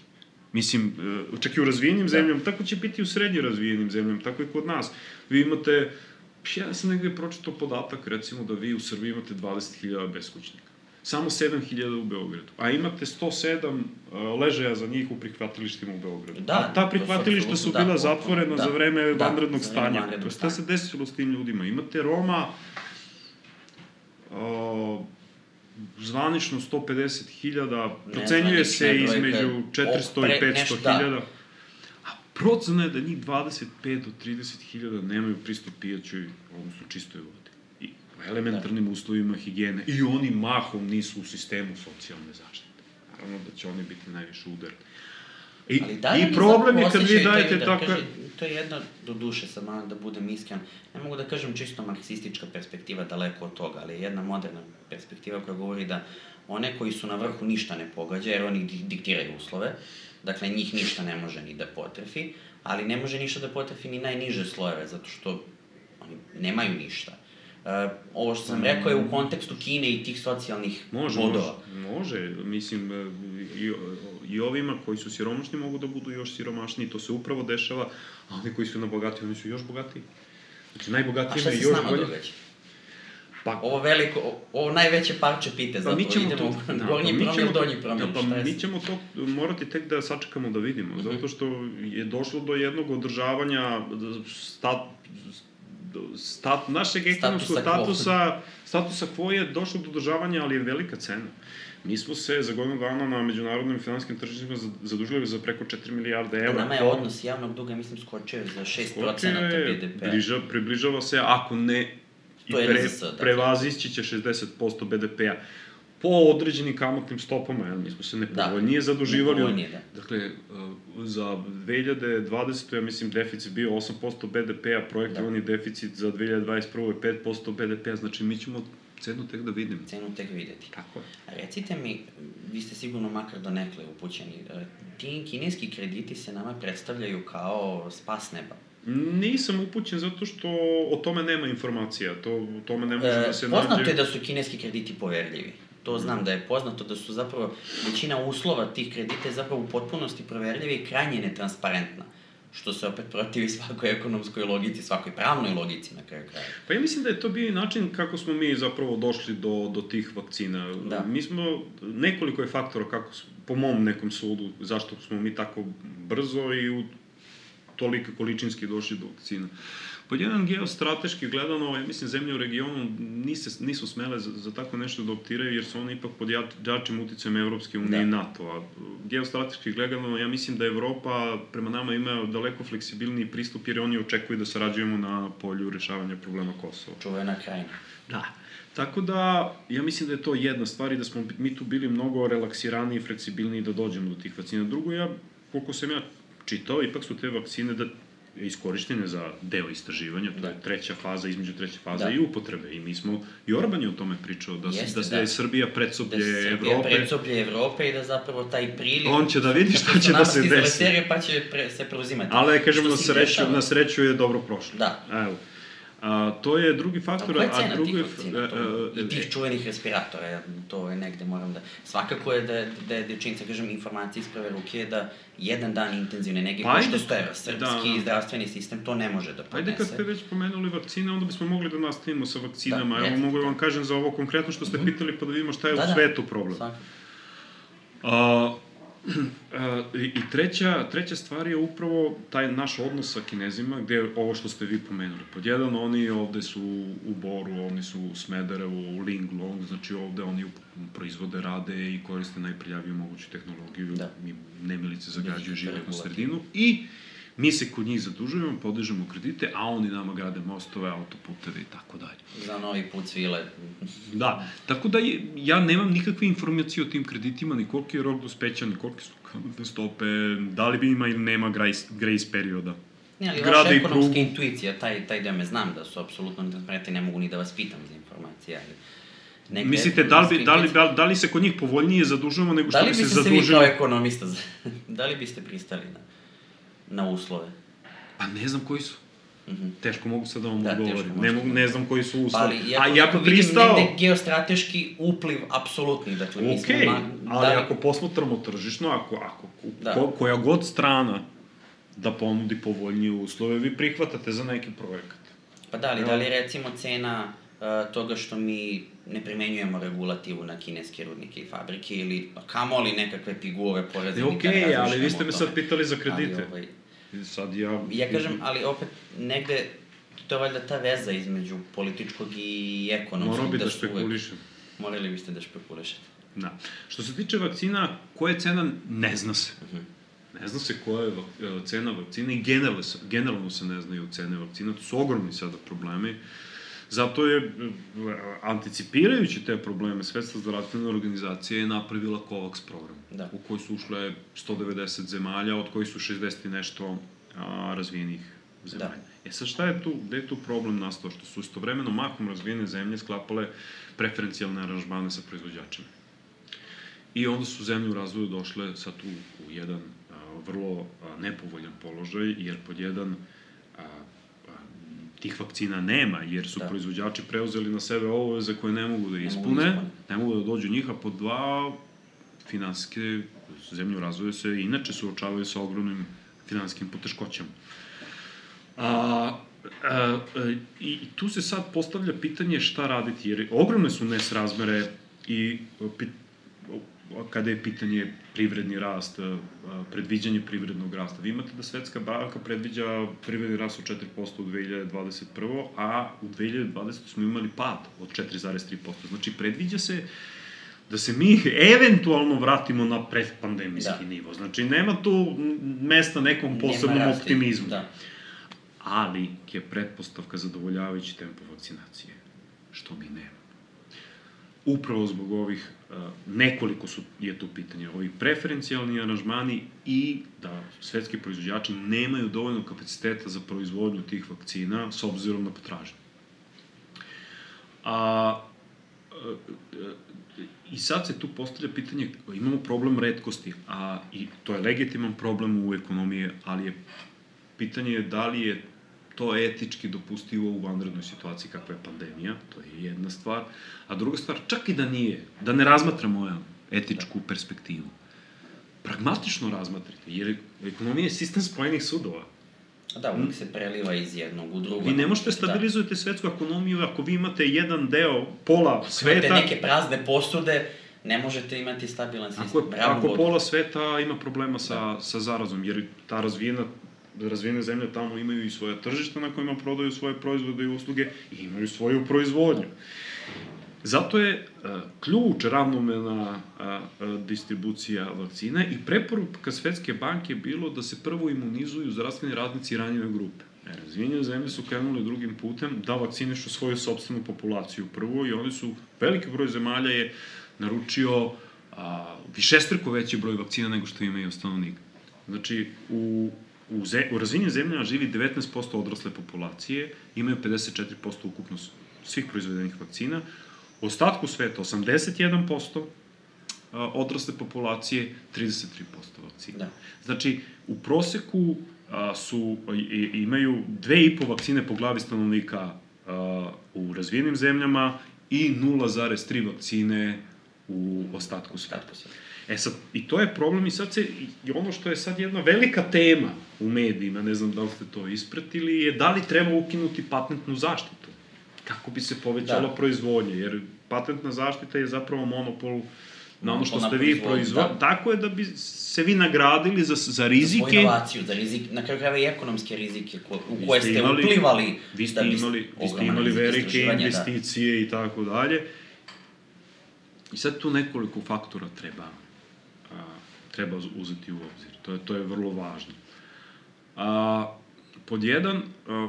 Mislim, čak i u razvijenim da. zemljama, tako će biti i u srednje razvijenim zemljama, tako i kod nas. Vi imate... Ja sam negde pročitao podatak, recimo, da vi u Srbiji imate dvadeset hiljada beskućnika. Samo sedam hiljada u Beogradu. A imate sto sedam uh, ležaja za njih u prihvatilištima u Beogradu. Da, a ta prihvatilišta su bila da, zatvorena da, za vreme da, vanrednog za stanja. Vanrednog Šta se desilo s tim ljudima? Imate Roma, uh, zvanično sto pedeset hiljada, procenjuje se između četiristo i petsto hiljada. Procena je da njih dvadeset pet do trideset hiljada nemaju pristup pijaćoj, odnosno čistoj vodi. I u elementarnim da. uslovima higijene. I oni mahom nisu u sistemu socijalne zaštite. Naravno da će oni biti najviše udarni. I, da i problem je kad vi dajete da, tako... Kaže, to je jedna, do duše, sad malo da budem iskren, ne mogu da kažem čisto marksistička perspektiva daleko od toga, ali je jedna moderna perspektiva koja govori da one koji su na vrhu ništa ne pogađa, jer oni diktiraju uslove. Dakle, njih ništa ne može ni da potrefi, ali ne može ništa da potrefi ni najniže slojeve, zato što oni nemaju ništa. Uh, ovo što sam rekao je u kontekstu Kine i tih socijalnih može, bodova. Može, može, mislim, i, i ovima koji su siromašni mogu da budu još siromašniji, to se upravo dešava, a oni koji su na bogati, oni su još bogatiji. Znači, najbogatiji imaju još bolje. A šta se s nama događa? Pa, ovo veliko, ovo najveće parče pite, zato pa idemo to, da, gornji pa promil, donji promil, da, pa mi ćemo to morati tek da sačekamo da vidimo, uh-huh. zato što je došlo do jednog održavanja stat, stat, našeg ekonomskog statusa, statusa quo je došlo do održavanja, ali je velika cena. Mi smo se za godinu dana na međunarodnim finansijskim tržištima zadužili za preko četiri milijarde evra. Nama je odnos javnog duga, mislim, skočio za šest procenata be de pe. Bliža, približava se, ako ne i pre, prevazići će šezdeset posto be de pe-a po određenim kamatnim stopama, jel? Mi smo se nepovoljnije da, zaduživali. Nepovoljnije, da. Dakle, za dve hiljade dvadesete. ja mislim, deficit bio osam posto be de pe-a, projektovani da. deficit za dve hiljade dvadeset prve. je pet posto be de pe-a, znači mi ćemo cenu tek da vidimo. Cenu tek videti. Tako je. A recite mi, vi ste sigurno makar donekle upućeni, ti kineski krediti se nama predstavljaju kao spas neba. Nisam upućen zato što o tome nema informacija, to, o tome ne može e, da se nađe... Poznato je da su kineski krediti poverljivi. To znam da je poznato da su zapravo, većina uslova tih kredita je zapravo u potpunosti proverljiva i krajnje netransparentna. Što se opet protivi svakoj ekonomskoj logici, svakoj pravnoj logici na kraju kraja. Pa ja mislim da je to bio i način kako smo mi zapravo došli do, do tih vakcina. Da. Mi smo, nekoliko je faktora kako, po mom nekom sudu, zašto smo mi tako brzo i u tolike količinski došli do vakcina. Pod jedan geostrateški gledano, ja mislim, zemlje u regionu nise, nisu smele za, za tako nešto da optiraju, jer su one ipak pod jačim uticajem Evropske unije i NATO-a. Geostrateški gledano, ja mislim da Evropa prema nama ima daleko fleksibilniji pristup, jer oni očekuju da sarađujemo na polju rešavanja problema Kosova. Čuvena krajina. Da. Tako da, ja mislim da je to jedna stvar i da smo mi tu bili mnogo relaksiraniji i fleksibilniji da dođemo do tih vakcina. Drugo, ja, koliko sam ja čitao, ipak su te vakcine da iskorištene za deo istraživanja, to da. je treća faza, između treće faze da. i upotrebe. I mi smo, i Orban je o tome pričao, da, Jeste, da, da je Srbija predsoblje Evrope. Da Srbija Evrope. predsoblje Evrope i da zapravo taj priliv... On će da vidi šta će da se desi. Pa će pre, se preuzimati. Ali, kažemo, na sreću, na sreću je dobro prošlo. Da. Evo. A, to je drugi faktor, a, a drugi... Tih vakcina, to, I tih čuvenih respiratora, to je negde moram da... Svakako je da, da je dečinca, kažem, informacija iz prve ruke je da jedan dan intenzivne nege pa košta sto evra. Srpski da. zdravstveni sistem to ne može da podnese. Ajde, kad ste već pomenuli vakcine, onda bismo mogli da nastavimo sa vakcinama. Da, Evo, mogu vam kažem za ovo konkretno što ste mm-hmm. pitali, pa da vidimo šta je da, u svetu problem. Da, svakako. I treća, treća stvar je upravo taj naš odnos sa Kinezima, gde je ovo što ste vi pomenuli. Pod jedan, oni ovde su u Boru, oni su u Smederevu, u Linglong, znači ovde oni proizvode, rade i koriste najprljaviju moguću tehnologiju, da. i nemilice zagađuju životnu sredinu. I Mi se kod njih zadužujemo, podižemo kredite, a oni nama grade mostove, autoputeve i tako dalje. Za novi put svile. Da, tako da je, ja nemam nikakve informacije o tim kreditima, ni koliki je rok dospeća, ni koliki su kamatne stope, da li bi ima ili nema grace, grace perioda. Ne, ali vaša ekonomska intuicija, taj, taj deo me znam da su apsolutno netransparentni, ne mogu ni da vas pitam za informacije, ali... Negde mislite, da li, bi, da, li, da, da li se kod njih povoljnije zadužujemo nego što bi se zadužili? Da li biste se vi kao ekonomista, da li biste pristali na, na uslove? Pa ne znam koji su. Mm-hmm. Teško mogu sad da vam da, odgovorim. Ne, mogu, ne znam koji su uslovi. Pa, ali ja, a ja bi pristao... vidim negde geostrateški upliv apsolutni. Dakle, mi Okej, okay, smo... ali da li... ako posmatramo tržišno, ako, ako da. ko, koja god strana da ponudi povoljnije uslove, vi prihvatate za neki projekat. Pa da li, ja. da li recimo cena uh, toga što mi ne primenjujemo regulativu na kineske rudnike i fabrike ili kamoli nekakve figure poreze. Okej, okay, ali vi ste me sad pitali za kredite. Ali, ovaj, sad ja... Ja kažem, ali opet negde, to je valjda ta veza između političkog i ekonomskog. Morao bi da, da špekulišem. Morali biste da špekulišete. Da. Što se tiče vakcina, koja je cena, ne zna se. Uh-huh. Ne zna se koja je cena vakcina i generalno se, generalno se ne znaju cene vakcina. To su ogromni sada problemi. Zato je, anticipirajući te probleme, Svetska zdravstvena organizacija je napravila COVAX program, da. U koji su ušle sto devedeset zemalja, od kojih su šezdeset i nešto a, razvijenih zemalja. Da. E sad šta je tu, gde je tu problem nastao? Što su istovremeno mahom razvijene zemlje sklapale preferencijalne aranžmane sa proizvođačima. I onda su zemlje u razvoju došle sad u, u jedan a, vrlo a, nepovoljan položaj, jer pod jedan a, tih vakcina nema, jer su da. proizvođači preuzeli na sebe obaveze koje ne mogu da ispune, ne mogu, ne mogu da dođu njih, a pod dva, finansijske zemlje u razvoju se inače suočavaju sa ogromnim finansijskim poteškoćama. A, a, a, i tu se sad postavlja pitanje šta raditi, jer ogromne su nesrazmere i pit, kada je pitanje privredni rast, predviđanje privrednog rasta. Vi imate da Svetska banka predviđa privredni rast od četiri posto u dve hiljade dvadeset prve. a u dve hiljade dvadesete smo imali pad od četiri zarez tri posto. Znači, predviđa se da se mi eventualno vratimo na predpandemijski da. nivo. Znači, nema tu mesta nekom posebnom optimizmu. Da. Ali je pretpostavka zadovoljavajući tempo vakcinacije, što mi nema. Upravo zbog ovih, uh, nekoliko su, je tu pitanje, ovih preferencijalni aranžmani i da svetski proizvođači nemaju dovoljno kapaciteta za proizvodnju tih vakcina s obzirom na potražnju. A, uh, uh, I sad se tu postavlja pitanje, imamo problem retkosti, a i to je legitiman problem u ekonomiji, ali je pitanje da li je to etički dopustivo u vanrednoj situaciji kakva je pandemija, to je jedna stvar. A druga stvar, čak i da nije, da ne razmatramo etičku perspektivu, pragmatično razmatrite, jer ekonomija je sistem spojenih sudova. Da, uvijek se preliva iz jednog u drugo. Vi ne možete stabilizujete da. svetsku ekonomiju ako vi imate jedan deo, pola sveta... Imate neke prazne posude, ne možete imati stabilan sistem. Ako, ako pola sveta ima problema sa, da. sa zarazom, jer ta razvijena razvijene zemlje tamo imaju i svoje tržišta na kojima prodaju svoje proizvode i usluge i imaju svoju proizvodnju. Zato je a, ključ ravnomerna a, a, distribucija vakcina i preporuka Svetske banke je bilo da se prvo imunizuju zdravstveni radnici i ranjive grupe. E, razvijenje zemlje su krenuli drugim putem da vakcinišu svoju sopstvenu populaciju prvo i oni su, veliki broj zemalja je naručio a, višestruko veći broj vakcina nego što imaju stanovnika. Znači, u U, ze, u razvijenim zemljama živi devetnaest posto odrasle populacije, imaju pedeset četiri posto ukupno svih proizvedenih vakcina, u ostatku sveta osamdeset jedan posto odrasle populacije, trideset tri posto vakcina. Da. Znači, u proseku a, su, i, imaju dve i po vakcine po glavi stanovnika a, u razvijenim zemljama i nula zarez tri vakcine u ostatku sveta. E sad, i to je problem i sad se, i ono što je sad jedna velika tema u medijima, ne znam da li ste to ispratili, je da li treba ukinuti patentnu zaštitu, kako bi se povećala da. proizvodnja, jer patentna zaštita je zapravo monopol na ono što ste vi proizvodili. Da. Tako je da bi se vi nagradili za, za rizike. Za svoju inovaciju, za rizik, na kraju krajeva i ekonomske rizike ko, u koje ste imali, uplivali. Vi ste imali, vi ste imali velike investicije da. i tako dalje. I sad tu nekoliko faktora treba treba uzeti u obzir. To je, to je vrlo važno. A, pod jedan, a,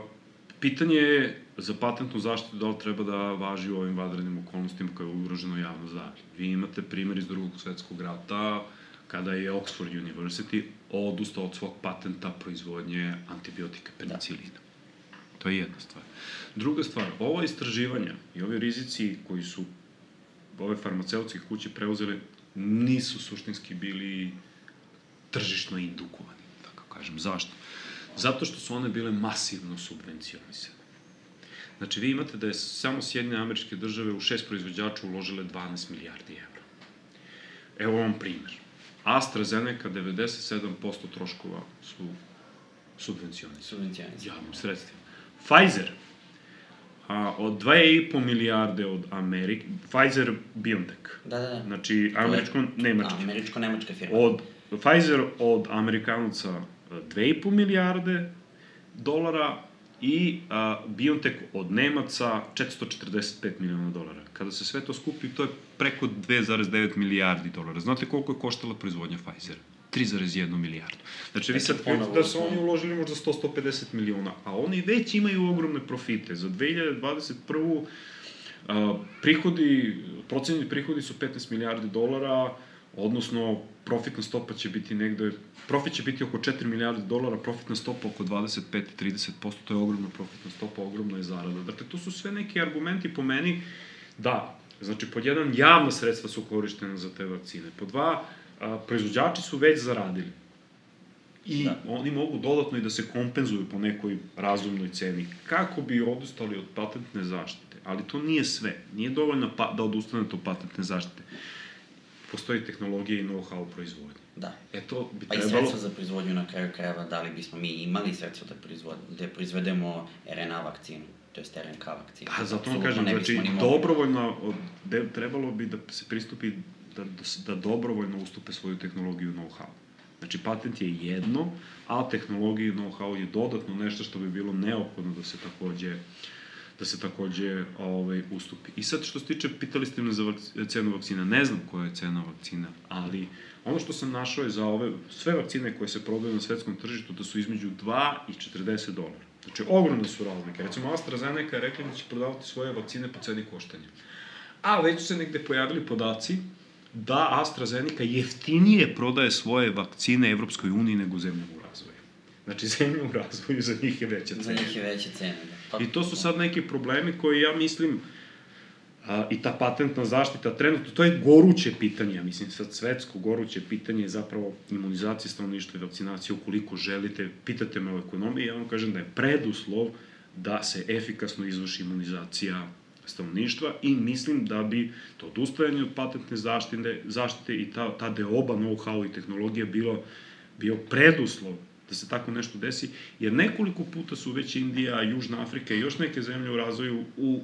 pitanje je za patentnu zaštitu da li treba da važi u ovim vanrednim okolnostima koje je ugroženo javno zdravlje. Vi imate primjer iz drugog svetskog rata, kada je Oxford University odustao od svog patenta proizvodnje antibiotika penicilina. To je jedna stvar. Druga stvar, ovo istraživanja i ovi rizici koji su ove farmaceutske kuće preuzele nisu suštinski bili tržišno indukovani, tako kažem. Zašto? Zato što su one bile masivno subvencionisane. Znači, vi imate da je samo Sjedinjene Američke Države u šest proizvođača uložile dvanaest milijardi evra. Evo vam primer. AstraZeneca devedeset sedam posto troškova su subvencionisane. Subvencionisane. Javnim sredstvima. Pfizer, a, od dve i po milijarde od Amerike, Pfizer BioNTech. Da, da, da. Znači, američko-nemački. Američko-nemačka firma. Od, Pfizer od Amerikanaca dve i po milijarde dolara i a, BioNTech od Nemaca četiristo četrdeset pet miliona dolara. Kada se sve to skupi, to je preko dve zarez devet milijardi dolara. Znate koliko je koštala proizvodnja Pfizera? tri zarez jedna milijardu. Znači, vi sad kažete da su oni uložili možda sto do sto pedeset miliona, a oni već imaju ogromne profite. Za dve hiljade dvadeset prvu. A, prihodi, procenjeni prihodi su petnaest milijardi dolara, odnosno profitna stopa će biti negde, profit će biti oko četiri milijarde dolara, profitna stopa oko dvadeset pet do trideset posto, to je ogromna profitna stopa, ogromna je zarada. Dakle, to su sve neki argumenti po meni da, znači, pod jedan, javna sredstva su korištena za te vakcine, pod dva, a, proizvođači su već zaradili i da. Oni mogu dodatno i da se kompenzuju po nekoj razumnoj ceni, kako bi odustali od patentne zaštite, ali to nije sve, nije dovoljno pa, da odustanete od patentne zaštite. Postoji tehnologija i know-how u proizvodnji. Da. E to bi pa trebalo... i sredstva za proizvodnju na kraju krajeva, da li bismo mi imali sredstva da, proizvod... da proizvedemo er en a vakcinu, to je er en ka vakcinu. Pa zato vam kažem, znači, dobrovoljno, de, trebalo bi da se pristupi da, da dobrovoljno ustupe svoju tehnologiju i know-how. Znači, patent je jedno, a tehnologija i know-how je dodatno nešto što bi bilo neophodno da se takođe da se takođe ovaj, ustupi. I sad, što se tiče, pitali ste me za vakc... cenu vakcina, ne znam koja je cena vakcina, ali ono što sam našao je za ove, sve vakcine koje se prodaju na svetskom tržištu, da su između dva i četrdeset dolara. Znači, ogromne su razlike. Recimo, AstraZeneca je rekla da će prodavati svoje vakcine po ceni koštanja. A već su se negde pojavili podaci da AstraZeneca jeftinije prodaje svoje vakcine Evropskoj uniji nego zemljama u razvoju. Znači, zemlja u razvoju, za njih je veća cena. Za njih je veća cena, da. Pa, I to su sad neki problemi koji, ja mislim, a, i ta patentna zaštita trenutno, to je goruće pitanje, ja mislim, sad svetsko goruće pitanje je zapravo imunizacija stanovništva i vakcinacija, ukoliko želite, pitate me o ekonomiji, ja vam kažem da je preduslov da se efikasno izvrši imunizacija stanovništva i mislim da bi to odustajanje od patentne zaštite, zaštite i ta, ta deoba know-how i tehnologija bilo, bio preduslov da se tako nešto desi, jer nekoliko puta su već Indija, Južna Afrika i još neke zemlje u razvoju u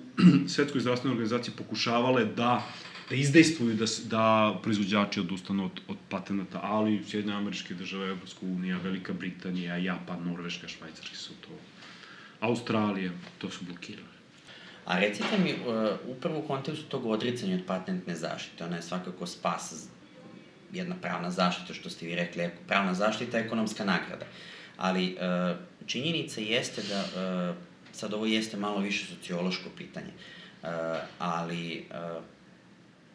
Svetskoj zdravstvenoj organizaciji pokušavale da, da izdejstvuju da, da proizvođači odustanu od, od patenata, ali Sjedinjene Američke Države, Evropska unija, Velika Britanija, Japan, Norveška, Švajcarski su to, Australija, to su blokirali. A recite mi, upravo u kontekstu tog odricanja od patentne zaštite, ona je svakako spas, jedna pravna zaštita, što ste vi rekli, pravna zaštita je ekonomska nagrada. Ali činjenica jeste da, sad ovo jeste malo više sociološko pitanje, ali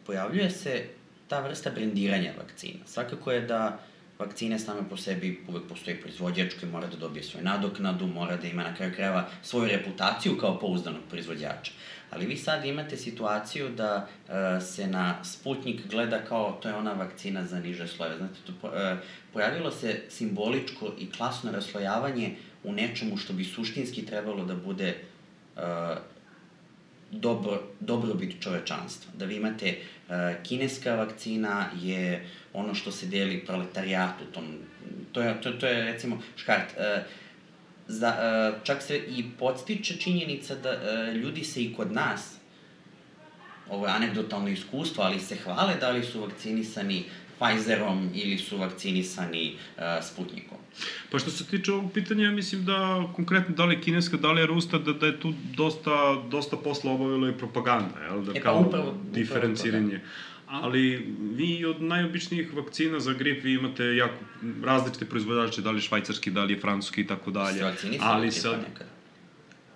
pojavljuje se ta vrsta brendiranja vakcina. Svakako je da vakcine same po sebi, uvek postoji proizvođač koji mora da dobije svoju nadoknadu, mora da ima na kraju krajeva svoju reputaciju kao pouzdanog proizvođača. Ali vi sad imate situaciju da uh, se na Sputnik gleda kao to je ona vakcina za niže slojeve. Znate, to, uh, pojavilo se simboličko i klasno raslojavanje u nečemu što bi suštinski trebalo da bude uh, dobro, dobrobit čovečanstva. Da vi imate uh, kineska vakcina je ono što se deli proletarijatu, tom, to, je, to, to je recimo škart. Uh, za, uh, čak se i podstiče činjenica da uh, ljudi se i kod nas, ovo je anegdotalno iskustvo, ali se hvale da li su vakcinisani Pfizerom ili su vakcinisani uh, Sputnikom. Pa što se tiče ovog pitanja, ja mislim da konkretno da li je kineska, da li je ruska, da, da je tu dosta, dosta posla obavila i propaganda, jel? Da, e, pa kao upravo, diferenciranje. Upravo Ali vi od najobičnijih vakcina za grip vi imate jako različite proizvođače, da li je švajcarski, da li je francuski i tako dalje. Se vakcinisali od gripa nekada?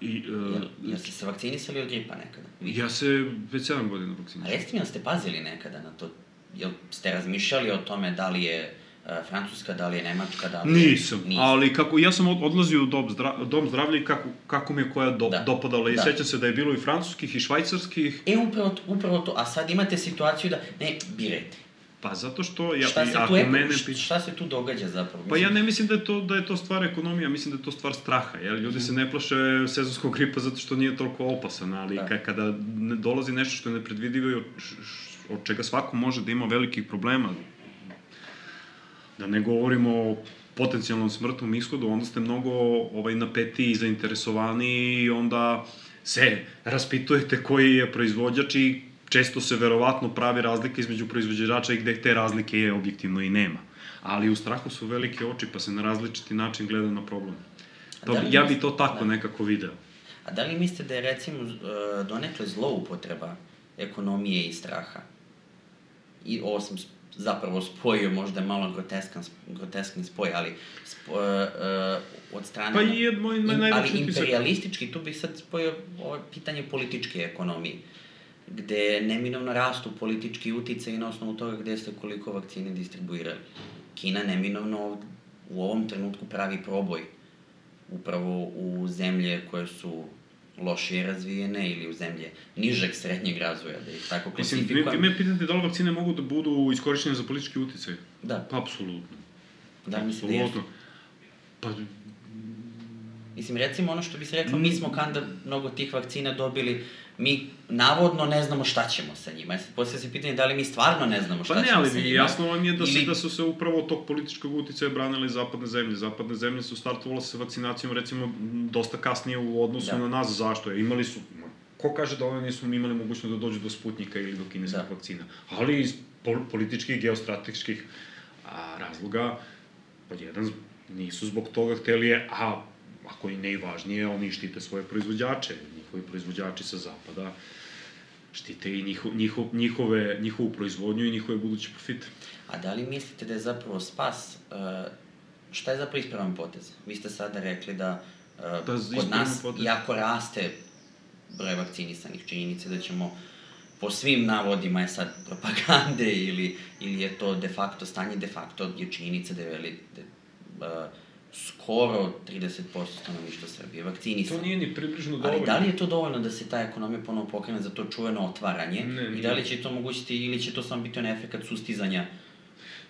I, uh, Jel ste se vakcinisali od gripa nekada? Ja se već sedam godina vakcinisam. A recite mi, jel ste pazili nekada na to? Jel ste razmišljali o tome da li je uh, Francuska, da li je Nemačka, da li je... Nisam, Nisam. ali kako, ja sam odlazio u dom, zdra, dom zdravlja i kako, kako mi je koja do, da. dopadala. I da. Sećam se da je bilo i francuskih i švajcarskih. E, upravo, upravo to. A sad imate situaciju da... Ne, birajte. Pa zato što... Ja, šta, se ako tu, mene... šta se tu događa zapravo? Pa ja ne mislim da je to, da je to stvar ekonomija, mislim da je to stvar straha. Jer ljudi se ne plaše sezonskog gripa zato što nije toliko opasan, ali da. kada dolazi nešto što je nepredvidivo i od čega svako može da ima velikih problema, da ne govorimo o potencijalnom smrtnom ishodu, onda ste mnogo ovaj, napeti i zainteresovani i onda se raspitujete koji je proizvođač i često se verovatno pravi razlika između proizvođača i gde te razlike je objektivno i nema. Ali u strahu su velike oči pa se na različiti način gleda na problem. To, da ja bi to tako da. nekako video. A da li mislite da je recimo donekle zloupotreba ekonomije i straha? I ovo sam zapravo spojio, možda je malo groteskan, groteskan spoj, ali spo, uh, od strane... Pa je moj najveći ali imperialistički, tu bih sad spojio ovo pitanje političke ekonomije, gde neminovno rastu politički uticaj na osnovu toga gde ste koliko vakcine distribuirali. Kina neminovno u ovom trenutku pravi proboj upravo u zemlje koje su lošije razvijene ili u zemlje nižeg srednjeg razvoja, da ih tako klasifikujem. Mislim, vi me pitate da li vakcine mogu da budu iskorišćene za politički uticaj? Da. Pa, apsolutno. Da, mislim da jesu. Pa... Mislim, recimo ono što bi se reklo, mi smo kanda mnogo tih vakcina dobili, mi navodno ne znamo šta ćemo sa njima. Poslije se pitanje da li mi stvarno ne znamo šta pa ne, ćemo sa njima. Pa ne, ali jasno vam je da, ili... se, da su se upravo od tog političkog uticaja branili zapadne zemlje. Zapadne zemlje su startovale sa vakcinacijom, recimo, dosta kasnije u odnosu da. na nas. Zašto je? Imali su... Ko kaže da oni nisu imali mogućnost da dođu do Sputnika ili do kineskih da. vakcina? Ali iz političkih, geostrateških a, razloga, pod jedan, nisu zbog toga hteli je, a ako i najvažnije, oni štite svoje proizvođače, njihovi proizvođači sa zapada, štite i njihov, njihov, njihove, njihovu proizvodnju i njihove buduće profite. A da li mislite da je zapravo spas, uh, šta je zapravo ispravan potez? Vi ste sada rekli da uh, da kod nas potez. jako raste broj vakcinisanih, činjenice da ćemo po svim navodima je sad propagande ili, ili je to de facto stanje, de facto je činjenica da je veli, da, uh, skoro trideset posto stanovništva Srbije vakcinisano. To nije ni približno dovoljno. Ali da li je to dovoljno da se ta ekonomija ponovo pokrene za to čuveno otvaranje? Ne, ne. I da li će to omogućiti ili će to samo biti on efekat sustizanja?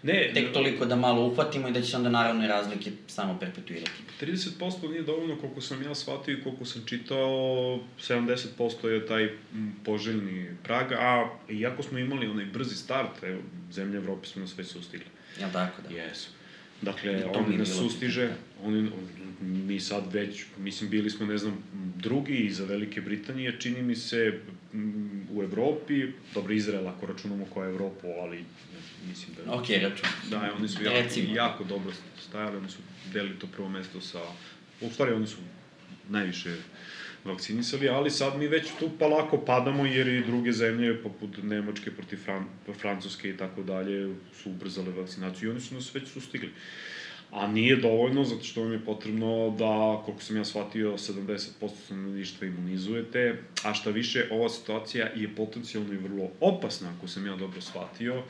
Ne. Tek toliko da malo uhvatimo i da će se onda naravne razlike samo perpetuirati. trideset posto nije dovoljno koliko sam ja shvatio i koliko sam čitao, sedamdeset posto je taj poželjni prag, a iako smo imali onaj brzi start, evo, zemlje Evrope su nas već sustigli. Jel tako da? Jesu. Dakle, oni nas sustiže, oni, mi sad već, mislim, bili smo, ne znam, drugi iza Velike Britanije, čini mi se, u Evropi, dobro, Izrael, ako računamo koja je Evropu, ali mislim da... Ok, račun. Da, oni su jako, jako dobro stajali, oni su delili to prvo mesto sa... U stvari, oni su najviše vakcinisali, ali sad mi već tu pa lako padamo, jer i druge zemlje, poput Nemačke protiv Fran Francuske i tako dalje, su ubrzale vakcinaciju i oni su nas već sustigli. A nije dovoljno, zato što vam je potrebno da, koliko sam ja shvatio, sedamdeset posto stanovništva imunizujete, a šta više, ova situacija je potencijalno i vrlo opasna, ako sam ja dobro shvatio,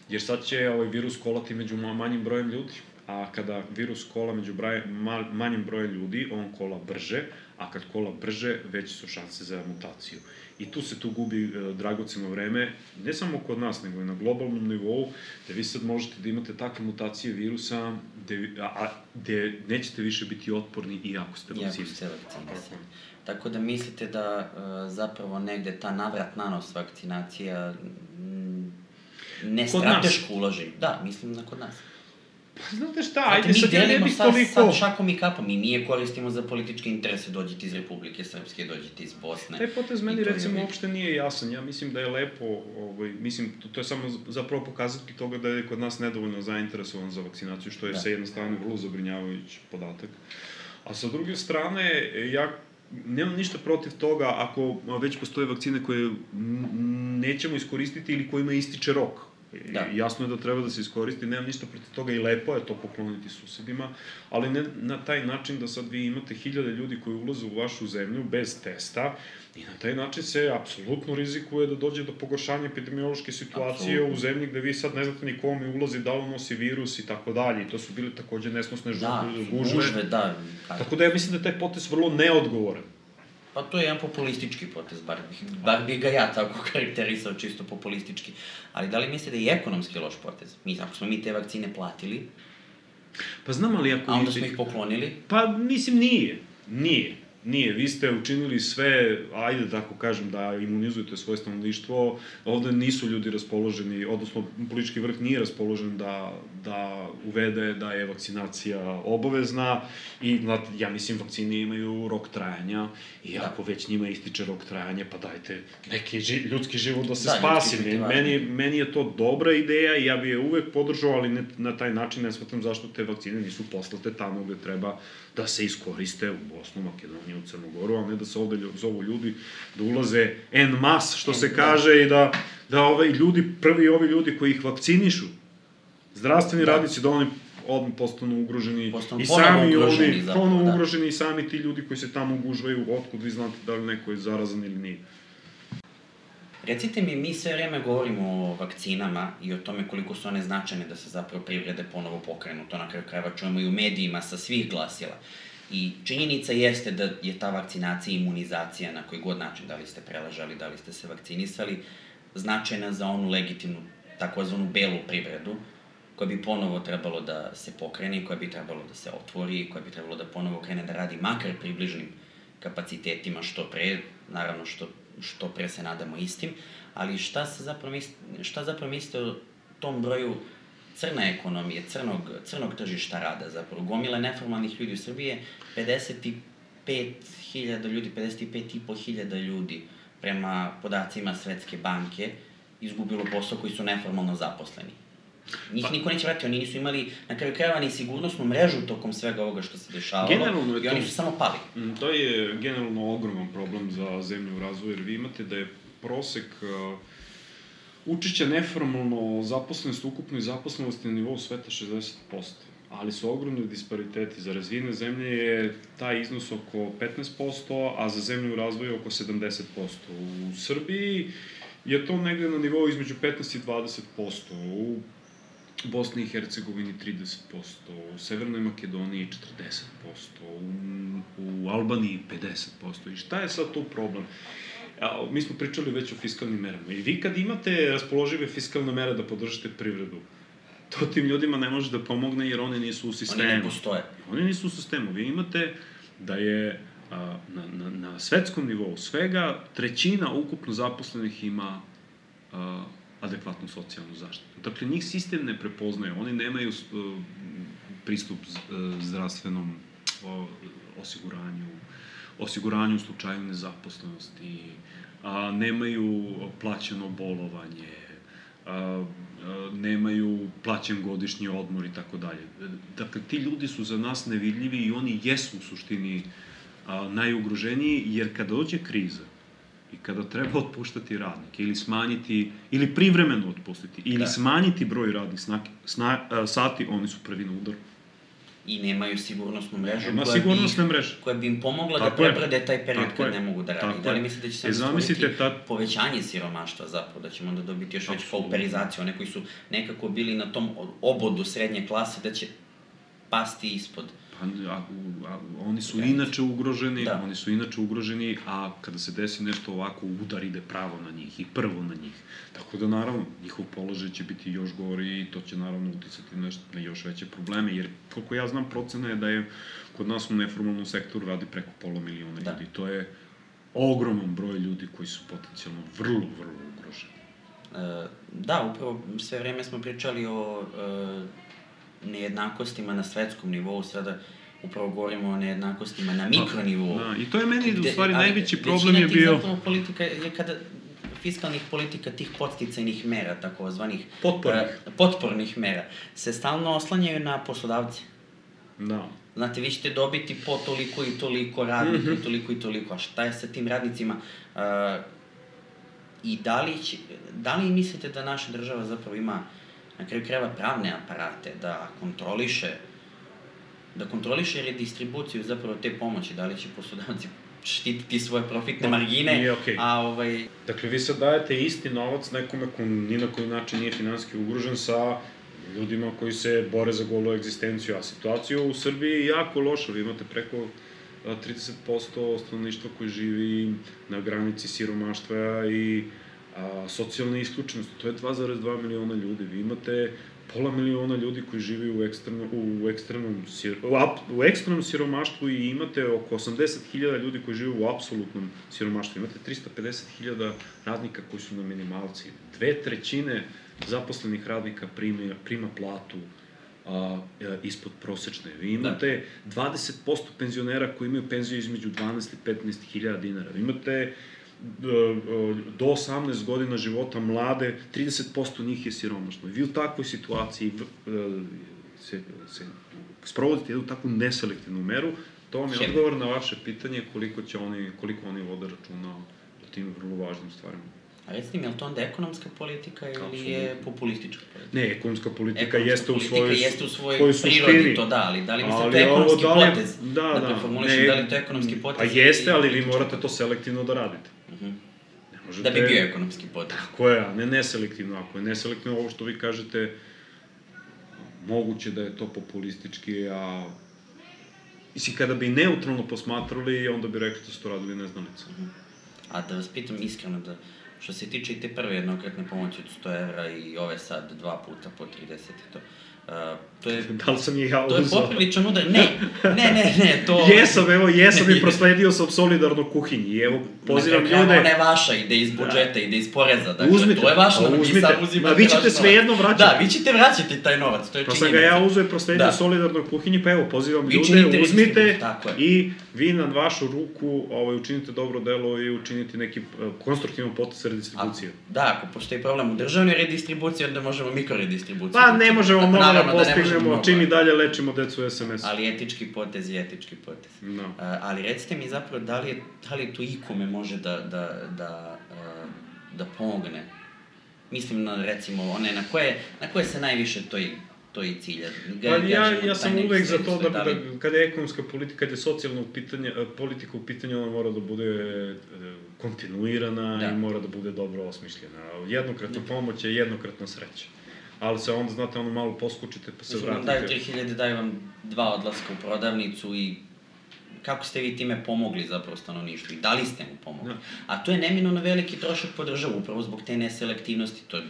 jer sad će ovaj virus kolati među manjim brojem ljudi, a kada virus kola među braj, ma, manjim brojem ljudi, on kola brže, a kad kola brže, veće su šanse za mutaciju. I tu se tu gubi e, dragoceno vreme, ne samo kod nas, nego i na globalnom nivou, da vi sad možete da imate takve mutacije virusa, gde, a, a, gde nećete više biti otporni iako ste vakcinisani. Iako ste vakcinisani. Tako da mislite da e, zapravo negde ta navrat nanos vakcinacija m, ne strateško uloži? Da, mislim na kod nas. Pa znate šta, ajde sad ja ne bih toliko... Mi delimo sad šakom i kapom i mi je koristimo za političke interese, dođite iz Republike Srpske, dođite iz Bosne. Taj potez meni recimo je... uopšte nije jasan, ja mislim da je lepo, ovaj, mislim, to, to je samo zapravo pokazati toga da je kod nas nedovoljno zainteresovan za vakcinaciju, što je da. sa jedne strane vrlo zabrinjavajući podatak. A sa druge strane, ja nemam ništa protiv toga ako već postoje vakcine koje nećemo iskoristiti ili kojima ističe rok. Da. Jasno je da treba da se iskoristi, nemam ništa protiv toga i lepo je to pokloniti susedima, ali ne na taj način da sad vi imate hiljade ljudi koji ulaze u vašu zemlju bez testa i na taj način se apsolutno rizikuje da dođe do pogoršanja epidemiološke situacije Absolutno. U zemlji gde vi sad ne znate ni kome ulazi, da li nosi virus i tako dalje. I to su bile takođe nesnosne da, gužve. gužve da, tako da ja mislim da je taj potez vrlo neodgovoran. Pa to je jedan populistički potez, bar bih, bar bih ga ja tako karakterisao, čisto populistički. Ali da li mislite da je i ekonomski loš potez? Mi, ako smo mi te vakcine platili, pa znam, ali ako... a onda smo ih poklonili? Pa, mislim, nije. Nije. Nije, vi ste učinili sve, ajde tako kažem, da imunizujete svoje stanovništvo, ovde nisu ljudi raspoloženi, odnosno politički vrh nije raspoložen da, da uvede da je vakcinacija obavezna i, ja mislim, vakcine imaju rok trajanja i ako već njima ističe rok trajanja, pa dajte neki ljudski život da se da, spasi. Meni, meni je to dobra ideja i ja bi je uvek podržao, ali ne, na taj način ne shvatam zašto te vakcine nisu poslate tamo gde treba da se iskoriste u Bosnu, Makedoniju, u Crnogoru, a ne da se ovde zovu ljudi da ulaze en mas, što se kaže, i da, da ovaj ljudi, prvi ovi ljudi koji ih vakcinišu, zdravstveni da. radnici, da oni odmah postanu ugroženi postanu i sami ugroženi, oni, ponovo da. ugroženi i sami ti ljudi koji se tamo ugužvaju, otkud vi znate da li neko je zarazan ili nije. Recite mi, mi sve vreme govorimo o vakcinama i o tome koliko su one značajne da se zapravo privrede ponovo pokrenu. To na kraju krajeva čujemo i u medijima sa svih glasila. I činjenica jeste da je ta vakcinacija i imunizacija na koji god način, da li ste preležali, da li ste se vakcinisali, značajna za onu legitimnu, takozvanu belu privredu, koja bi ponovo trebalo da se pokrene, koja bi trebalo da se otvori, koja bi trebalo da ponovo krene da radi makar približnim kapacitetima što pre, naravno što što pre se nadamo istim, ali šta se zapravo misli, šta zapravo mislite o tom broju crne ekonomije, crnog, crnog tržišta rada, zapravo gomile neformalnih ljudi u Srbiji, pedeset pet hiljada ljudi, pedeset pet i po hiljada ljudi prema podacima Svetske banke izgubilo posao koji su neformalno zaposleni. Njih pa, niko neće vratiti, oni nisu imali na kraju krajeva ni sigurnosnu mrežu tokom svega ovoga što se dešavalo i oni su samo pali. To je generalno ogroman problem za zemlju u razvoju, jer vi imate da je prosek uh, učešća neformalno zaposlenost, ukupnoj zaposlenosti na nivou sveta šezdeset posto. Ali su ogromni dispariteti. Za razvijene zemlje je taj iznos oko petnaest posto, a za zemlju u razvoju oko sedamdeset posto. U Srbiji je to negde na nivou između petnaest i dvadeset posto. U Bosni i Hercegovini trideset posto, u Severnoj Makedoniji četrdeset posto, u, u Albaniji pedeset posto. I šta je sad tu problem? A, mi smo pričali već o fiskalnim merama. I vi kad imate raspoložive fiskalne mere da podržite privredu, to tim ljudima ne može da pomogne jer oni nisu u sistemu. Oni ne postoje. Oni nisu u sistemu. Vi imate da je a, na, na, na svetskom nivou svega trećina ukupno zaposlenih ima a, adekvatnu socijalnu zaštitu. Dakle, njih sistem ne prepoznaje, oni nemaju uh, pristup uh, zdravstvenom uh, osiguranju, osiguranju u slučaju nezaposlenosti, uh, nemaju plaćeno bolovanje, uh, uh, nemaju plaćen godišnji odmor i tako dalje. Dakle, ti ljudi su za nas nevidljivi i oni jesu u suštini uh, najugroženiji, jer kada dođe kriza, i kada treba otpuštati radnike ili smanjiti, ili privremeno otpustiti, ili da. smanjiti broj radnih snak, sna, uh, sati, oni su prvi na udaru. I nemaju sigurnosnu mrežu Nema koja, bi ih, koja bi im pomogla tako da prebrode taj period kad je. ne mogu da radi. Da li mislite da će se e, stvoriti ta... povećanje siromaštva zapravo, da ćemo onda dobiti još već pauperizaciju, one koji su nekako bili na tom obodu srednje klase, da će pasti ispod. A, a, oni su inače ugroženi, da. oni su inače ugroženi, a kada se desi nešto ovako, udar ide pravo na njih i prvo na njih. Tako da, naravno, njihov položaj će biti još gori i to će, naravno, uticati nešto na još veće probleme, jer, koliko ja znam, procena je da je kod nas u neformalnom sektoru radi preko pola miliona da. ljudi. To je ogroman broj ljudi koji su potencijalno vrlo, vrlo ugroženi. E, da, upravo sve vreme smo pričali o e, nejednakostima na svetskom nivou, sada upravo govorimo o nejednakostima na mikronivou. Da, i to je meni, u stvari, najveći problem je bio... Većina tih zapravo politika je kada fiskalnih politika, tih podsticajnih mera, takozvanih... Potpornih. Uh, potpornih mera, se stalno oslanjaju na poslodavce. Da. Znate, vi ćete dobiti po toliko i toliko radnika, mm-hmm. toliko i toliko, a šta je sa tim radnicima? Uh, I da li, će, da li mislite da naša država zapravo ima na kraju krajeva pravne aparate da kontroliše da kontroliše redistribuciju zapravo te pomoći, da li će poslodavci štititi svoje profitne margine, nije okej. A ovaj... Dakle, vi sad dajete isti novac nekome ko ni na koji način nije finansijski ugrožen sa ljudima koji se bore za golu egzistenciju, a situacija u Srbiji je jako loša. Vi imate preko trideset posto stanovništva koji živi na granici siromaštva i a, socijalne isključenosti. To je dva zarez dva miliona ljudi. Vi imate pola miliona ljudi koji živi u ekstremnom, u ekstremnom, u ekstremnom siromaštvu i imate oko osamdeset hiljada ljudi koji žive u apsolutnom siromaštvu. Imate trista pedeset hiljada radnika koji su na minimalci. Dve trećine zaposlenih radnika prima, prima platu a, ispod prosečne. Vi imate dvadeset posto penzionera koji imaju penziju između dvanaest i petnaest hiljada dinara. Vi imate do osamnaest godina života mlade, trideset posto njih je siromašno. Vi u takvoj situaciji se, se sprovodite jednu takvu neselektivnu meru, to vam je odgovor na vaše pitanje koliko će oni, koliko oni vode računa o tim vrlo važnim stvarima. A recite mi, je li to onda ekonomska politika ili Absolutno. Je populistička politika? Ne, ekonomska politika ekonomska jeste, politika u svojoj, jeste u svojoj prirodi suštini. To da, ali da li mislite ali to je ekonomski ovo, da li, potez? Da, da, da. preformulišem, da li to je ekonomski potez? Pa jeste, ali vi morate to selektivno da radite. Uh-huh. Možete, da bi bio ekonomski potez. Tako je, a ne neselektivno. Ako je neselektivno, ovo što vi kažete, moguće da je to populistički, a... Mislim, kada bi neutralno posmatrali, onda bi rekli da su to radili neznalice. Uh-huh. A da vas pitam iskreno, da što se tiče i te prve jednokratne pomoći od sto evra i ove sad dva puta po trideset i to, Uh, to je, da li sam je ja uzao? To je popriličan udar. Ne, ne, ne, ne, to... Jesam, evo, jesam i prosledio sam solidarno kuhinji. I evo, pozivam ljude... Ona je vaša, ide iz budžeta, ide iz poreza. Dakle, uzmite, to je vaš novac, uzmite. vi sam uzimate. Ma vi ćete svejedno vraćati. Da, vi ćete vraćati taj novac, to je pa činjenica. Pa sam ga ja uzeo i prosledio da. solidarno kuhinji, pa evo, pozivam vi ljude, uzmite i vi na vašu ruku ovaj, učinite dobro delo i učinite neki konstruktivan potez redistribucije. Da, ako postoji problem u državnoj redistribuciji, onda možemo mikroredistribuciju. Pa ne možemo mnogo da postignemo, čim i dalje lečimo decu u es em esu. Ali etički potez je etički potez. No. Uh, ali recite mi zapravo, da li, je, da li to ikome može da, da, da, uh, da pomogne? Mislim na, recimo, one na koje, na koje se najviše to i, to i cilja. Pa ja, ja sam uvek za to da, da, da kada je ekonomska politika, kada je socijalna pitanje, politika u pitanju, ona mora da bude kontinuirana da. I mora da bude dobro osmišljena. Jednokratna pomoć je jednokratna sreća. Ali se onda, znate, ono malo poskučite pa se Mislim, vratite. Daju tri hiljade, daju vam dva odlaska u prodavnicu i kako ste vi time pomogli zapravo stanovništvu i da li ste mu pomogli? Da. A to je neminovno veliki trošak po državu, upravo zbog te neselektivnosti. To, uh,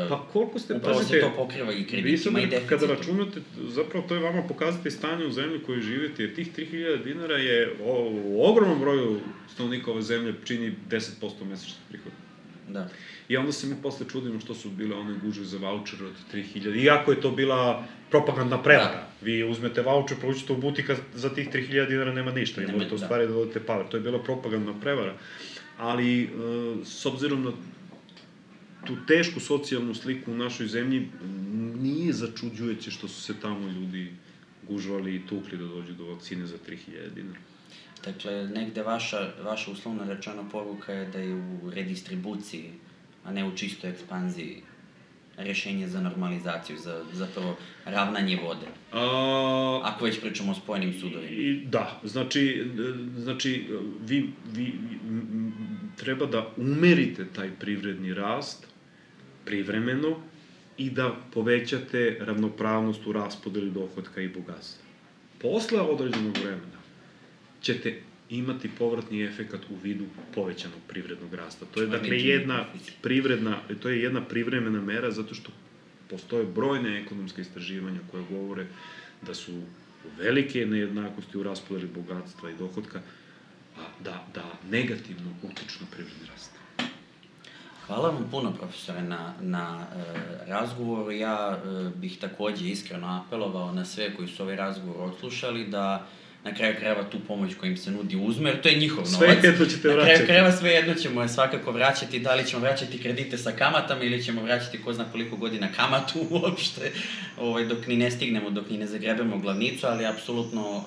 pa koliko ste, upravo pazite, se to pokriva i kreditima i deficitom. Kada računate, zapravo to je vama pokazati stanje u zemlji koju živite, jer tih tri hiljade dinara je o, u ogromnom broju stanovnika ove zemlje čini deset posto mesečnih prihoda. Da. I onda se mi posle čudimo što su bile one gužve za vaučer od tri hiljade. Iako je to bila propagandna prevara. Da. Vi uzmete vaučer, proučite u butika, za tih tri hiljade dinara nema ništa. I možete u stvari da dodate power. To je bila propagandna prevara. Ali, e, s obzirom na tu tešku socijalnu sliku u našoj zemlji, nije začuđujuće što su se tamo ljudi gužvali i tukli da dođu do vakcine za tri hiljade dinara. Dakle, negde vaša, vaša uslovno rečena poruka je da je u redistribuciji, a ne u čistoj ekspanziji, rešenje za normalizaciju, za zapravo ravnanje vode. A... Ako već pričamo o spojenim sudovima. I, da, znači, znači vi, vi m, treba da umerite taj privredni rast privremeno i da povećate ravnopravnost u raspodeli dohotka i bogatstva. Posle određenog vremena ćete imati povratni efekat u vidu povećanog privrednog rasta. To je dakle jedna privredna, to je jedna privremena mera zato što postoje brojne ekonomske istraživanja koje govore da su velike nejednakosti u raspodeli bogatstva i dohotka, a da, da negativno utiču na privredni rast. Hvala vam puno, profesore, na, na e, razgovoru. Ja e, bih takođe iskreno apelovao na sve koji su ovaj razgovor odslušali da na kraju krajeva tu pomoć koja im se nudi uzme, jer to je njihov novac. Sve jedno ćete vraćati. Na kraju krajeva sve jedno ćemo je svakako vraćati, da li ćemo vraćati kredite sa kamatama ili ćemo vraćati ko zna koliko godina kamatu uopšte, ovaj, dok ni ne stignemo, dok ni ne zagrebemo glavnicu, ali apsolutno uh,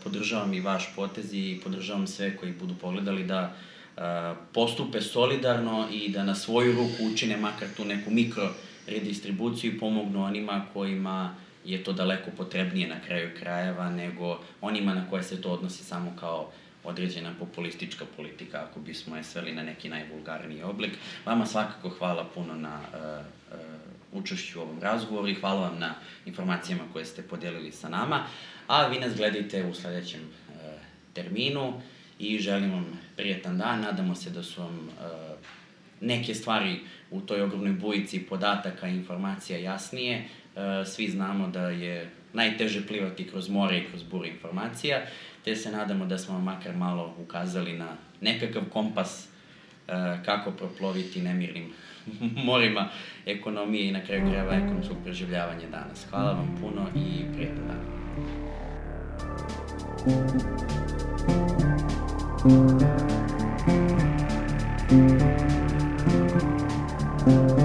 podržavam i vaš potez i podržavam sve koji budu pogledali da uh, postupe solidarno i da na svoju ruku učine makar tu neku mikro redistribuciju i pomognu onima kojima je to daleko potrebnije na kraju krajeva nego onima na koje se to odnosi samo kao određena populistička politika, ako bismo je sveli na neki najvulgarniji oblik. Vama svakako hvala puno na uh, uh, učešću u ovom razgovoru i hvala vam na informacijama koje ste podelili sa nama, a vi nas gledajte u sledećem uh, terminu i želim vam prijetan dan. Nadamo se da su vam uh, neke stvari u toj ogromnoj bujici podataka i informacija jasnije. Uh, svi znamo da je najteže plivati kroz more i kroz bure informacija, te se nadamo da smo vam makar malo ukazali na nekakav kompas uh, kako proploviti nemirnim morima ekonomije i na kraju krajeva ekonomskog preživljavanja danas. Hvala vam puno i prijetan dan. Thank you.